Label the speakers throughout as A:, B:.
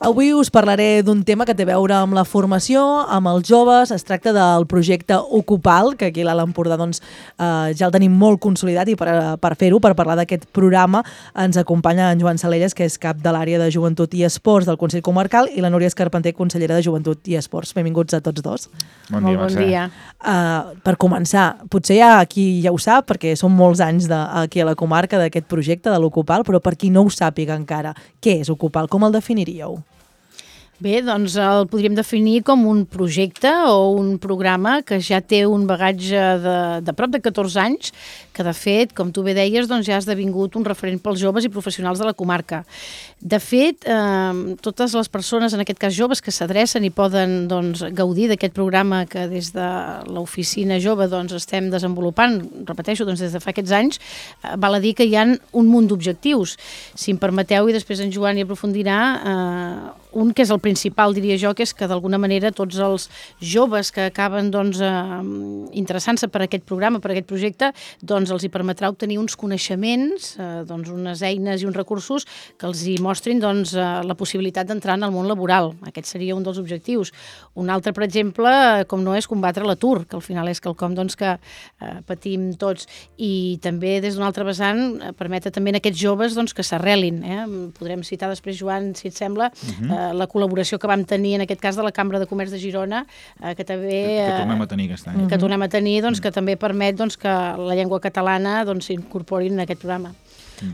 A: Avui us parlaré d'un tema que té a veure amb la formació, amb els joves. Es tracta del projecte Ocupal, que aquí a l'Alt Empordà ja el tenim molt consolidat, i per fer-ho, per parlar d'aquest programa, ens acompanya en Joan Salelles, que és cap de l'àrea de Joventut i Esports del Consell Comarcal, i la Núria Escarpenter, consellera de Joventut i Esports. Benvinguts a tots dos.
B: Bon dia,
C: Bon dia.
A: Per començar, potser ja qui ja ho sap, perquè són molts anys aquí a la comarca d'aquest projecte de l'Ocupal, però per qui no ho sàpiga encara, què és Ocupal? Com el definiríeu?
C: Bé, doncs el podríem definir com un projecte o un programa que ja té un bagatge de prop de 14 anys, que de fet, com tu bé deies, doncs ja ha esdevingut un referent pels joves i professionals de la comarca. De fet, totes les persones, en aquest cas joves, que s'adrecen i poden gaudir d'aquest programa que des de l'oficina jove estem desenvolupant, repeteixo, des de fa aquests anys, val a dir que hi ha un munt d'objectius. Si em permeteu, i després en Joan hi aprofundirà, un que és el principal, diria jo, que és que d'alguna manera tots els joves que acaben interessant-se per aquest programa, per aquest projecte, els hi permetrà obtenir uns coneixements, unes eines i uns recursos que els hi mostrin la possibilitat d'entrar en el món laboral. Aquest seria un dels objectius. Un altre, per exemple, com no és combatre l'atur, que al final és quelcom que patim tots, i també des d'un altre vessant permetre també a aquests joves que s'arrelin. Podrem citar després, Joan, si et sembla, la col·laboració que vam tenir en aquest cas de la Cambra de Comerç de Girona, que també...
B: Que tornem a tenir aquest any.
C: Que tornem a tenir, que també permet que la llengua catalana s'incorporin en aquest programa.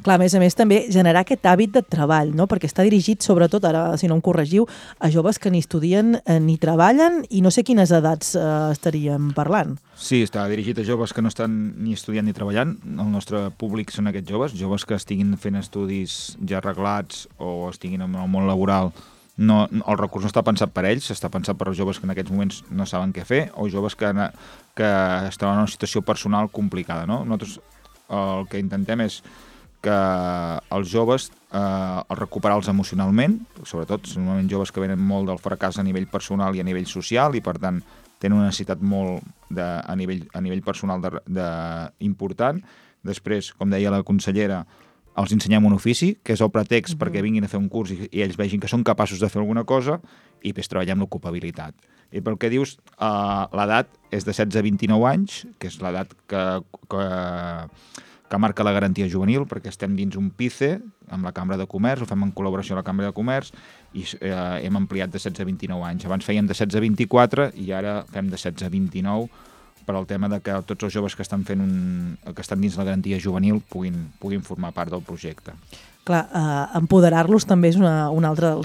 A: Clar, a més també generar aquest hàbit de treball, no? Perquè està dirigit sobretot, ara si no em corregiu, a joves que ni estudien ni treballen, i no sé quines edats estaríem parlant.
B: Sí, està dirigit a joves que no estan ni estudiant ni treballant. El nostre públic són aquests joves que estiguin fent estudis ja arreglats o estiguin en el món laboral. No, el recurs no està pensat per ells, està pensat per joves que en aquests moments no saben què fer o joves que estan en una situació personal complicada. No? Nosaltres el que intentem és que els joves recuperar-los emocionalment, sobretot són normalment joves que venen molt del fracàs a nivell personal i a nivell social, i per tant tenen una necessitat molt a nivell personal important. Després, com deia la consellera, els ensenyem un ofici, que és el pretext perquè vinguin a fer un curs i ells vegin que són capaços de fer alguna cosa, i després treballem l'ocupabilitat. I pel que dius, l'edat és de 16 a 29 anys, que és l'edat que marca la garantia juvenil, perquè estem dins un PICE amb la Cambra de Comerç, ho fem en col·laboració amb la Cambra de Comerç, i hem ampliat de 16 a 29 anys. Abans fèiem de 16 a 24 i ara fem de 16 a 29 per al tema de que tots els joves que estan dins la garantia juvenil puguin formar part del projecte.
A: Clar, empoderar-los també és un altre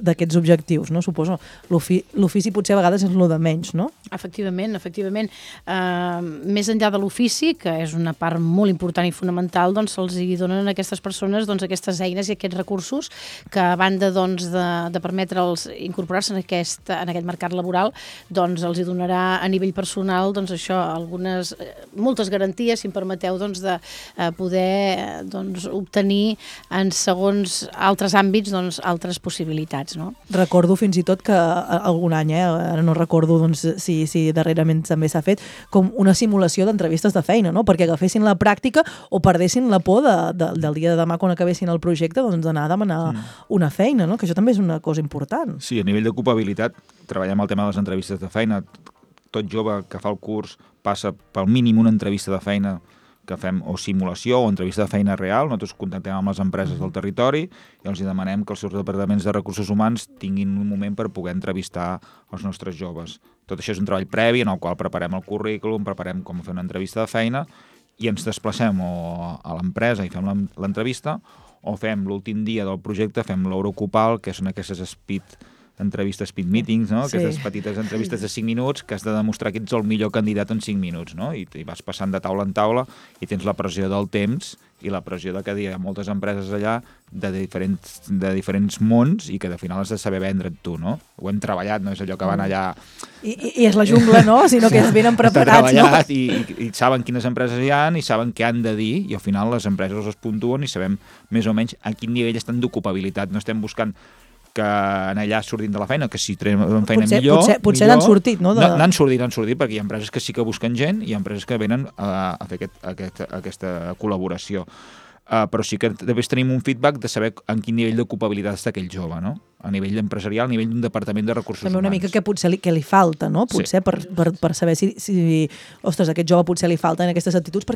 A: d'aquests objectius, no? Suposo. L'ofici potser a vegades és el de menys, no?
C: Efectivament. Més enllà de l'ofici, que és una part molt important i fonamental, se'ls hi donen a aquestes persones aquestes eines i aquests recursos que, a banda de permetre'ls incorporar-se en aquest mercat laboral, els hi donarà a nivell personal moltes garanties, si em permeteu, de poder obtenir segons altres àmbits, altres possibilitats, no?
A: Recordo fins i tot que algun any, ara no recordo si darrerament també s'ha fet, com una simulació d'entrevistes de feina, no? Perquè agafessin la pràctica o perdessin la por del dia de demà quan acabessin el projecte, d'anar a demanar una feina, no? Que això també és una cosa important.
B: Sí, a nivell d'ocupabilitat treballem el tema de les entrevistes de feina. Tot jove que fa el curs passa pel mínim una entrevista de feina que fem, o simulació o entrevista de feina real. Nosaltres contactem amb les empreses del territori i els demanem que els seus departaments de recursos humans tinguin un moment per poder entrevistar els nostres joves. Tot això és un treball previ en el qual preparem el currículum, preparem com fer una entrevista de feina i ens desplacem o a l'empresa i fem l'entrevista, o fem l'últim dia del projecte, fem l'Ocupal, que són aquestes entrevistes, speed meetings, no? Sí. Aquestes petites entrevistes de 5 minuts que has de demostrar que ets el millor candidat en 5 minuts, no? I vas passant de taula en taula i tens la pressió del temps i la pressió de que hi ha moltes empreses allà de diferents mons i que al final has de saber vendre't tu, no? Ho hem treballat, no és allò que van allà...
A: I és la jungla, no? Sinó que es venen preparats, no?
B: I saben quines empreses hi ha i saben què han de dir, i al final les empreses els puntuen i sabem més o menys a quin nivell estan d'ocupabilitat. No estem buscant que allà surtin de la feina, que si tenen feina millor...
A: Potser n'han sortit, no?
B: N'han sortit, perquè hi ha empreses que sí que busquen gent i hi ha empreses que venen a fer aquesta col·laboració. però sí que després tenim un feedback de saber en quin nivell d'ocupabilitat està aquell jove, no? A nivell empresarial, a nivell d'un departament de recursos
A: També una
B: humans.
A: mica que potser que li falta, no? Potser per saber si, ostres, a aquest jove potser li falten aquestes actituds per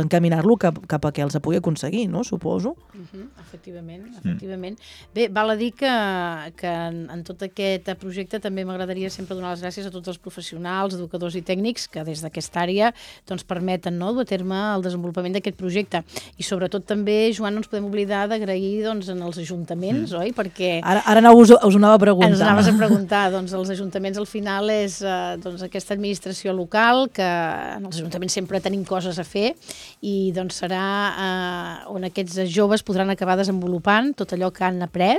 A: encaminar-lo cap a que els pugui aconseguir, no? Suposo.
C: Efectivament. Bé, val a dir que en tot aquest projecte també m'agradaria sempre donar les gràcies a tots els professionals, educadors i tècnics que des d'aquesta àrea doncs, permeten dur a terme el desenvolupament d'aquest projecte. I sobretot també, Joan, no ens podem oblidar d'agrair doncs, als ajuntaments, oi? Perquè
A: Ara us ho anava a preguntar.
C: Ens anaves a preguntar, doncs els ajuntaments al final és doncs, aquesta administració local que en els ajuntaments sempre tenim coses a fer i doncs serà on aquests joves podran acabar desenvolupant tot allò que han après,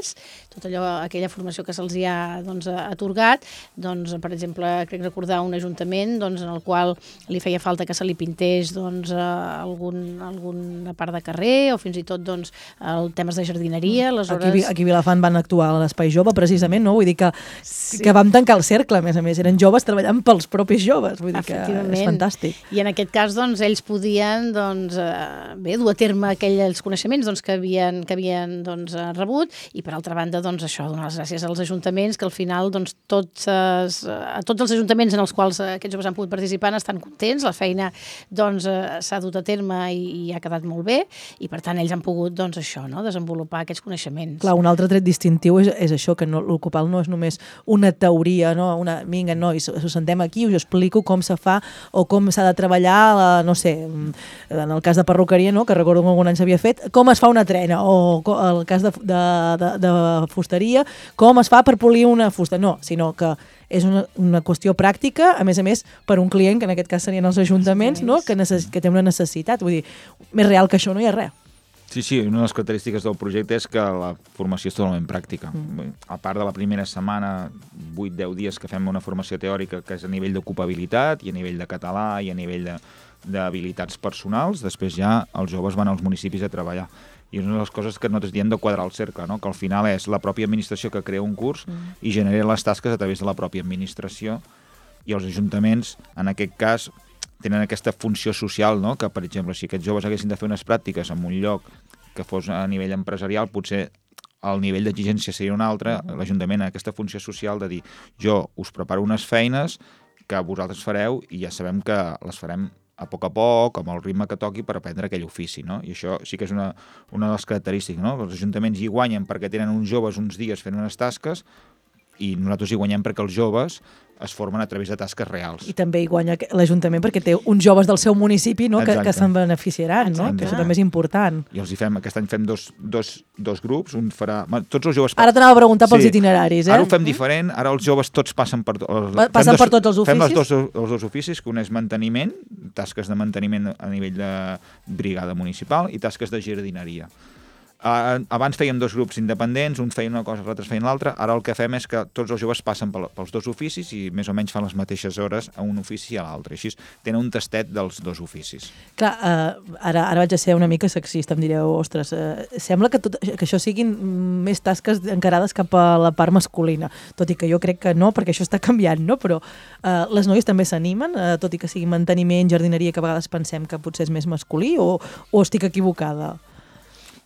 C: tot allò, aquella formació que se'ls ha doncs, atorgat. Doncs, per exemple, crec recordar un ajuntament doncs, en el qual li feia falta que se li pintés doncs, alguna part de carrer o fins i tot doncs, temes de jardineria. Aleshores...
A: Aquí a Vilafant van actuar a l'Espai Jove, precisament, no? Vull dir que vam tancar el cercle, a més, eren joves treballant pels propis joves, vull dir que és fantàstic.
C: I en aquest cas, doncs, ells podien doncs, dur a terme aquells coneixements doncs, que havien doncs, rebut i, per altra banda, doncs, això, donar les gràcies als ajuntaments, que al final doncs, tots els ajuntaments en els quals aquests joves han pogut participar estan contents, la feina doncs, s'ha dut a terme i ha quedat molt bé i, per tant, ells han pogut doncs, això, no? Desenvolupar aquests coneixements.
A: Clar, un altre tret distintiu és això, que l'Ocupal no és només una teoria, no? Vinga, nois, us sentem aquí, us explico com se fa o com s'ha de treballar, no sé, en el cas de perruqueria, no? Que recordo que algun any s'havia fet, com es fa una trena, o el cas de fusteria, com es fa per polir una fusta. No, sinó que és una qüestió pràctica, a més, per un client, que en aquest cas serien els ajuntaments, no? Que té una necessitat. Vull dir, més real que això no hi ha res.
B: Sí, una de les característiques del projecte és que la formació és totalment pràctica. A part de la primera setmana, 8-10 dies que fem una formació teòrica que és a nivell d'ocupabilitat i a nivell de català i a nivell d'habilitats personals, després ja els joves van als municipis a treballar. I és una de les coses que nosaltres diem de quadrar el cercle, no? Que al final és la pròpia administració que crea un curs i genera les tasques a través de la pròpia administració i els ajuntaments, en aquest cas, tenen aquesta funció social, no? Que, per exemple, si aquests joves haguessin de fer unes pràctiques en un lloc que fos a nivell empresarial, potser el nivell d'exigència seria un altre. L'Ajuntament ha aquesta funció social de dir jo us preparo unes feines que vosaltres fareu i ja sabem que les farem a poc, amb el ritme que toqui per aprendre aquell ofici, no? I això sí que és una de les característiques, no? Els ajuntaments hi guanyen perquè tenen uns joves uns dies fent unes tasques i nosaltres hi guanyem perquè els joves es formen a través de tasques reals.
A: I també hi guanya l'Ajuntament perquè té uns joves del seu municipi, no? que se'n beneficiaran, no? Que això també és important.
B: I aquest any fem dos grups, un farà... Tots els joves...
A: Ara t'anava a preguntar pels itineraris,
B: Ara ho fem diferent, ara els joves tots passen per...
A: per tots els oficis?
B: Fem els dos oficis, que un és manteniment, tasques de manteniment a nivell de brigada municipal i tasques de jardineria. Abans fèiem dos grups independents, un feia una cosa, els altres feien l'altra. Ara el que fem és que tots els joves passen pels dos oficis i més o menys fan les mateixes hores a un ofici i a l'altre. Així tenen un tastet dels dos oficis.
A: Clar, ara vaig a ser una mica sexista, em direu, ostres, sembla que això siguin més tasques encarades cap a la part masculina, tot i que jo crec que no, perquè això està canviant, no? Però les noies també s'animen, tot i que sigui manteniment, jardineria, que a vegades pensem que potser és més masculí, o estic equivocada?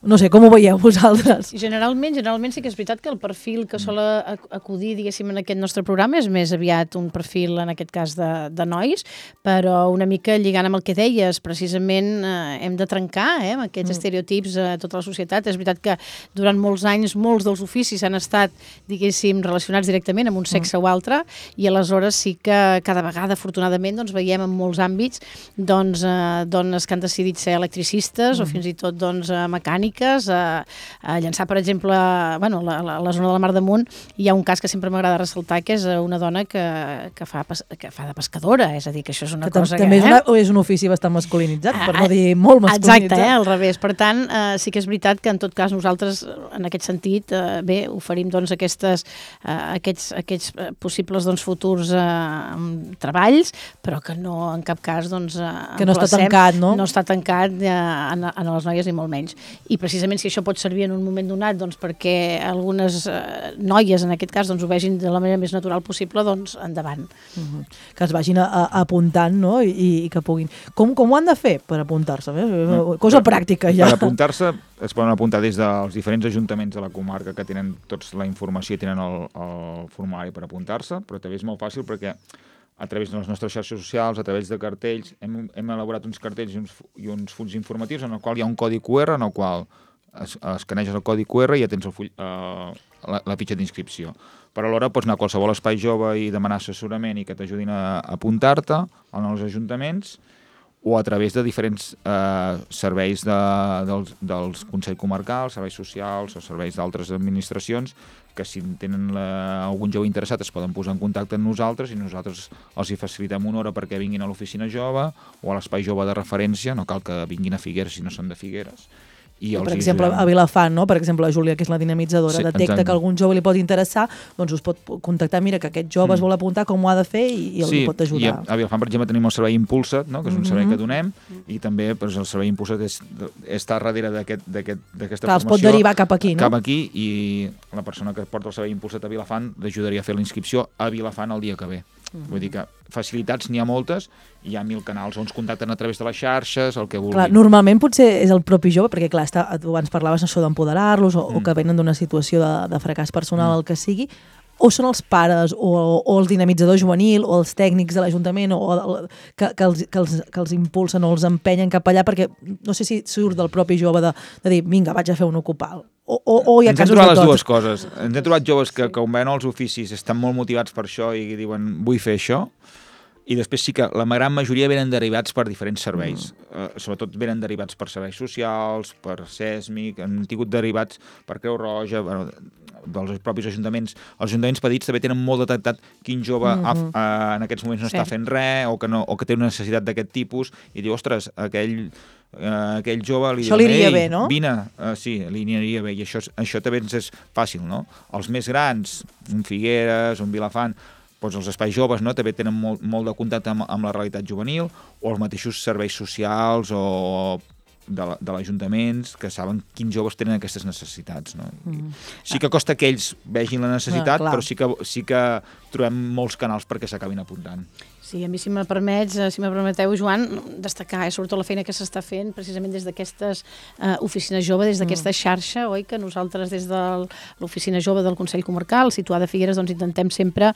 A: No sé, com ho veieu vosaltres?
C: Generalment sí que és veritat que el perfil que sol acudir, diguéssim, en aquest nostre programa és més aviat un perfil, en aquest cas, de nois, però una mica lligant amb el que deies, precisament hem de trencar amb aquests estereotips a tota la societat. És veritat que durant molts anys molts dels oficis han estat, diguéssim, relacionats directament amb un sexe o altre, i aleshores sí que cada vegada, afortunadament, doncs, veiem en molts àmbits dones que han decidit ser electricistes o fins i tot mecànics, a llançar, per exemple, a la zona de la Mar d'Amunt hi ha un cas que sempre m'agrada ressaltar, que és una dona que fa de pescadora, és a dir, que això és una cosa
A: també és un ofici bastant masculinitzat, per no dir molt masculinitzat.
C: Exacte, al revés. Per tant, sí que és veritat que en tot cas nosaltres, en aquest sentit, oferim aquests possibles futurs treballs, però que no en cap cas
A: que no està tancat, no?
C: No està tancat a les noies ni molt menys. I i precisament si això pot servir en un moment donat doncs, perquè algunes noies, en aquest cas, doncs, ho vegin de la manera més natural possible, doncs endavant.
A: Que es vagin apuntant, no? I que puguin... Com ho han de fer per apuntar-se? Cosa pràctica, ja.
B: Per apuntar-se es poden apuntar des dels diferents ajuntaments de la comarca que tenen tots la informació i tenen el formulari per apuntar-se, però també és molt fàcil perquè a través de les nostres xarxes socials, a través de cartells, hem elaborat uns cartells i uns fulls informatius en el qual hi ha un codi QR en el qual escaneges el codi QR i ja tens la fitxa d'inscripció. Però alhora pots anar a qualsevol espai jove i demanar assessorament i que t'ajudin a apuntar-te als ajuntaments o a través de diferents serveis dels Consells Comarcals, serveis socials o serveis d'altres administracions que si tenen algun jove interessat es poden posar en contacte amb nosaltres i nosaltres els hi facilitem una hora perquè vinguin a l'oficina jove o a l'espai jove de referència, no cal que vinguin a Figueres si no són de Figueres.
A: Per exemple, a Vilafant, no? Per exemple, la Júlia, que és la dinamitzadora, detecta que algun jove li pot interessar, doncs us pot contactar, mira, que aquest jove es vol apuntar, com ho ha de fer i el pot ajudar.
B: Sí, a Vilafant, per exemple, tenim el servei Impulsa't, no? Que és un servei que donem, i també el servei Impulsa't està darrere d'aquesta formació.
A: Els pot derivar cap aquí, no?
B: Cap aquí, i la persona que porta el servei Impulsa't a Vilafant l'ajudaria a fer la inscripció a Vilafant el dia que ve. Vull dir que facilitats n'hi ha moltes i hi ha 1000 canals on es contacten a través de les xarxes, el que vulguin.
A: Clar, normalment potser és el propi jove, perquè clar, tu abans parlaves això d'empoderar-los o que venen d'una situació de fracàs personal, el que sigui, o són els pares o el dinamitzador juvenil o els tècnics de l'Ajuntament que els impulsen o els empenyen cap allà, perquè no sé si surt del propi jove de dir, vinga, vaig a fer un ocupal. O hi ha casos de tot. Ens hem
B: trobat les dues coses. Ens hem trobat joves que quan veuen els oficis estan molt motivats per això i diuen, vull fer això, i després sí que la gran majoria venen derivats per diferents serveis. Sobretot venen derivats per serveis socials, per SESMIC, han tingut derivats per Creu Roja, dels propis ajuntaments. Els ajuntaments petits també tenen molt detectat quin jove en aquests moments no està fent res o que té una necessitat d'aquest tipus i diu, ostres, aquell jove li
A: això li iria bé, no?
B: Vine, sí, li aniria bé, i això també ens és fàcil, no? Els més grans, un Figueres, un Vilafant, doncs els espais joves, no? També tenen molt de contacte amb la realitat juvenil, o els mateixos serveis socials o de l'Ajuntaments que saben quins joves tenen aquestes necessitats, no? Sí que costa que ells vegin la necessitat, però sí que trobem molts canals perquè s'acabin apuntant.
C: Sí, a mi si me permeteu, Joan, destacar sobretot la feina que s'està fent precisament des d'aquestes oficines joves, des d'aquesta xarxa, oi, que nosaltres des de l'oficina jove del Consell Comarcal, situada a Figueres, doncs intentem sempre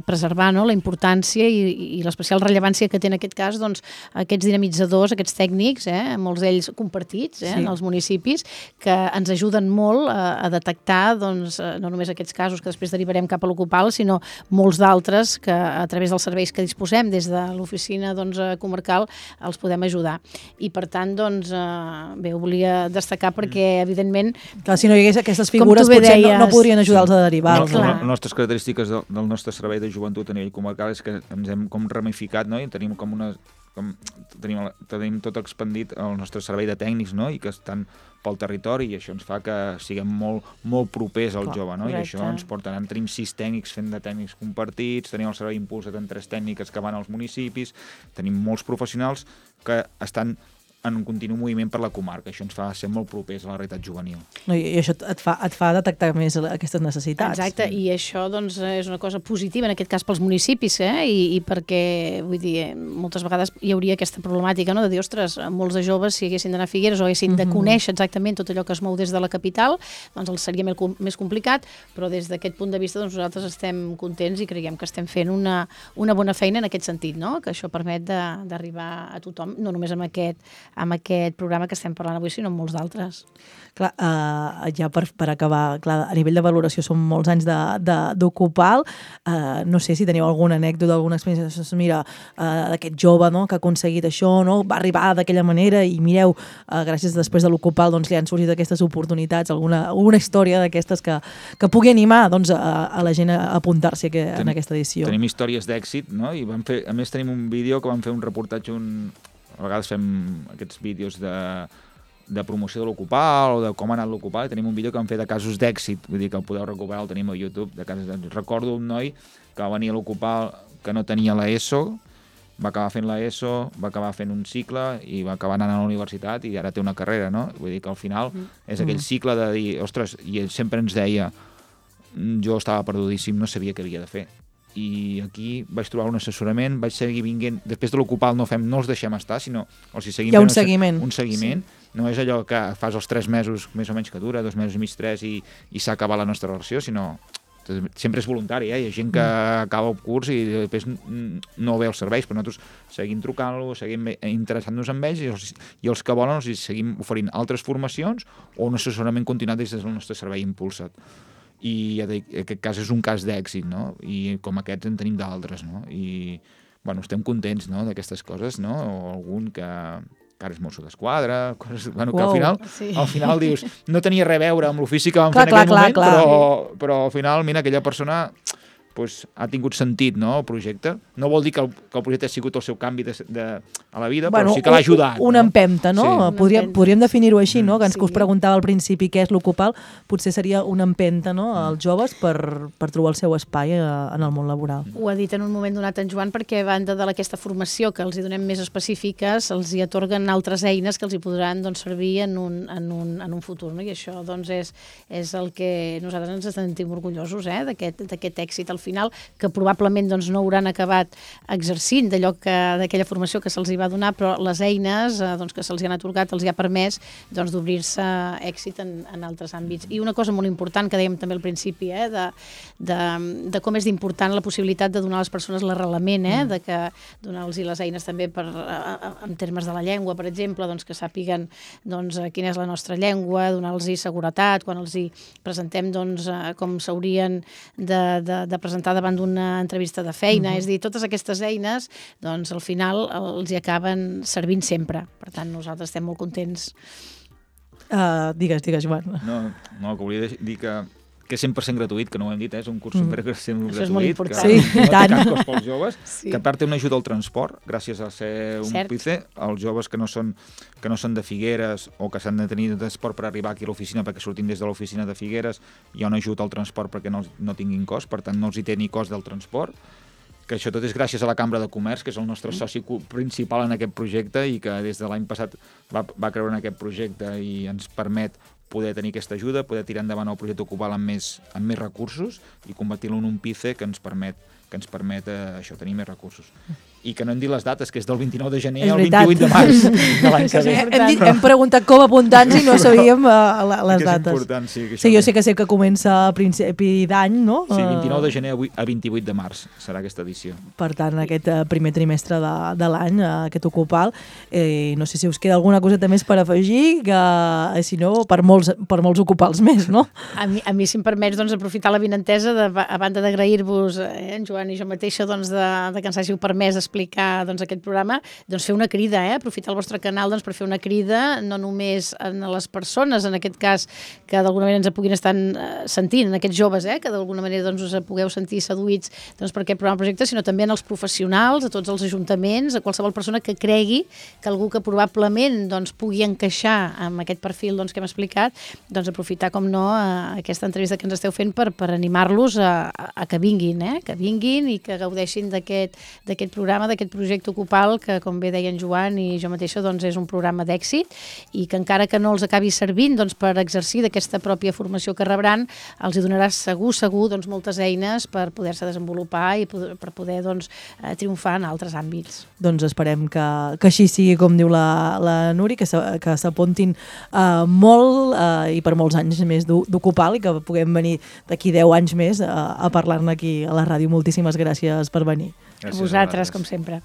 C: preservar, no?, la importància i l'especial rellevància que té en aquest cas doncs, aquests dinamitzadors, aquests tècnics, molts d'ells compartits en els municipis, que ens ajuden molt a detectar doncs, no només aquests casos que després derivarem cap a l'Ocupal, sinó molts d'altres que a través dels serveis que disposem des de l'oficina comarcal els podem ajudar. I per tant, doncs, bé, ho volia destacar perquè, evidentment...
A: Clar, si no hi hagués aquestes figures, potser no podrien ajudar-los a derivar.
B: Les nostres característiques del nostre servei de joventut a nivell comarcal és que ens hem com ramificat, no? I tenim com una... tenim tot expandit el nostre servei de tècnics, no? I que estan pel territori i això ens fa que siguem molt propers al jove, no? I això ens porta, tenim 6 tècnics fent de tècnics compartits, tenim el servei Impulsa't en 3 tècniques que van als municipis, tenim molts professionals que estan en un continu moviment per la comarca. Això ens fa ser molt propers a la realitat juvenil.
A: I això et fa detectar més aquestes necessitats.
C: Exacte, i això doncs, és una cosa positiva, en aquest cas pels municipis, i perquè, vull dir, moltes vegades hi hauria aquesta problemàtica, no?, de dir, ostres, molts de joves, si haguessin d'anar a Figueres o haguessin de conèixer exactament tot allò que es mou des de la capital, doncs els seria més complicat, però des d'aquest punt de vista doncs, nosaltres estem contents i creiem que estem fent una bona feina en aquest sentit, no?, que això permet d'arribar a tothom, no només amb aquest programa que estem parlant avui, sinó amb molts d'altres.
A: Clar, ja per acabar, clar, a nivell de valoració són molts anys d'Ocupal. No sé si teniu alguna anècdota, alguna experiència, mira, d'aquest jove, no?, que ha aconseguit això, no?, va arribar d'aquella manera i mireu, gràcies després de l'Ocupal doncs, li han sorgit aquestes oportunitats, alguna història d'aquestes que pugui animar doncs, a la gent a apuntar-se en aquesta edició.
B: Tenim històries d'èxit, no? I a més tenim un vídeo que vam fer un reportatge, a vegades fem aquests vídeos de promoció de l'Ocupal o de com ha anat l'Ocupal, i tenim un vídeo que vam fer de casos d'èxit, vull dir que el podeu recuperar, el tenim a YouTube. Recordo un noi que va venir a l'Ocupal que no tenia l'ESO va acabar fent l'ESO, va acabar fent un cicle i va acabar anant a la universitat i ara té una carrera, no? Vull dir que al final és aquell cicle de dir, ostres, i ell sempre ens deia, jo estava perdudíssim, no sabia què havia de fer. I aquí vaig trobar un assessorament, vaig seguir vinguent, després de l'Ocupal no els deixem estar, sinó els hi seguim
A: hi ha un
B: fent
A: seguiment.
B: Un seguiment, no és allò que fas els 3 mesos més o menys que dura, 2 mesos i mig, 3 i s'ha acabat la nostra relació, sinó sempre és voluntari, hi ha gent que acaba el curs i després no ve els serveis, però nosaltres seguim trucant-lo, seguim interessant-nos en ells i els que volen els seguim oferint altres formacions o un assessorament continuat des del nostre servei Impulsa't. I aquest cas és un cas d'èxit, no? I com aquests en tenim d'altres, no? I bueno, estem contents, no?, d'aquestes coses, no? O algun que ara és mosso d'esquadra, coses bueno, que al final dius, no tenia res a veure amb l'ofici que vam fer en aquell moment, però al final, mira, aquella persona pues, ha tingut sentit, no?, el projecte. No vol dir que el projecte ha sigut el seu canvi a la vida, però sí que l'ha ajudat.
A: Una empenta, no? Sí. Podríem definir-ho així, no? Que ens us preguntava al principi què és l'Ocupal, potser seria una empenta, no?, als joves per trobar el seu espai en el món laboral.
C: Ho ha dit en un moment donat en Joan, perquè a banda d'aquesta formació que els hi donem més específiques, els hi atorguen altres eines que els hi podran servir en un futur, no? I això doncs, és el que nosaltres ens sentim orgullosos d'aquest èxit al final, que probablement doncs, no hauran acabat exercint d'aquella formació que se'ls hi va donar, però les eines doncs, que se'ls hi han atorgat els hi ha permès doncs, d'obrir-se èxit en altres àmbits. I una cosa molt important que dèiem també al principi, de com és important la possibilitat de donar a les persones l'arrelament, de que donar-los les eines també en termes de la llengua, per exemple, doncs, que sàpiguen doncs, quina és la nostra llengua, donar-los seguretat, quan els hi presentem doncs, com s'haurien de presentar davant d'una entrevista de feina, és a dir, totes aquestes eines, doncs al final els hi acaben servint sempre. Per tant, nosaltres estem molt contents.
A: Digues, Joan.
B: No, que volia dir que és 100% gratuït, que no ho hem dit, és un curs 100% gratuït.
C: Això és molt important.
B: Que no té cap cost pels joves, que a part té una ajuda al transport, gràcies a ser un PICE, els joves que no són de Figueres o que s'han de tenir de transport per arribar aquí a l'oficina perquè sortim des de l'oficina de Figueres, hi ha una ajuda al transport perquè no tinguin cost, per tant no els hi té ni cost del transport, que això tot és gràcies a la Cambra de Comerç, que és el nostre soci principal en aquest projecte i que des de l'any passat va creure en aquest projecte i ens permet poder tenir aquesta ajuda, poder tirar endavant el projecte Ocupal amb més recursos i convertir-lo en un PICE que ens permet això, tenir més recursos. I que no hem dit les dates, que és del 29 de gener al 28 de març de l'any que ve.
A: Hem preguntat com apuntar-nos i no sabíem les dates.
B: És important, sí.
A: Jo sé que comença a principi d'any, no?
B: Sí, 29 de gener a 28 de març serà aquesta edició.
A: Per tant, aquest primer trimestre de l'any, aquest Ocupal. No sé si us queda alguna coseta més per afegir, que si no, per molts Ocupals més, no?
C: A mi, si em permets, doncs, aprofitar la vinentesa, a banda d'agrair-vos, en Joan i jo mateixa, doncs, de que ens hàgiu permès explicar doncs, aquest programa, doncs fer una crida, aprofitar el vostre canal doncs, per fer una crida, no només a les persones, en aquest cas, que d'alguna manera ens puguin estar sentint, en aquests joves, que d'alguna manera doncs, us pugueu sentir seduïts doncs, per aquest programa projecte, sinó també en els professionals, a tots els ajuntaments, a qualsevol persona que cregui que algú que probablement doncs, pugui encaixar amb aquest perfil doncs, que hem explicat, doncs aprofitar, com no, aquesta entrevista que ens esteu fent per animar-los a que vinguin, i que gaudeixin d'aquest programa, d'aquest projecte Ocupal, que com bé deien Joan i jo mateixa, doncs és un programa d'èxit i que encara que no els acabi servint doncs, per exercir d'aquesta pròpia formació que rebran, els hi donarà segur doncs, moltes eines per poder-se desenvolupar i per poder doncs, triomfar en altres àmbits.
A: Doncs esperem que així sigui, com diu la Núria, que s'apuntin molt i per molts anys més d'Ocupal i que puguem venir d'aquí 10 anys més a parlar-ne aquí a la ràdio. Moltíssimes gràcies per venir.
C: A vosaltres, com sempre.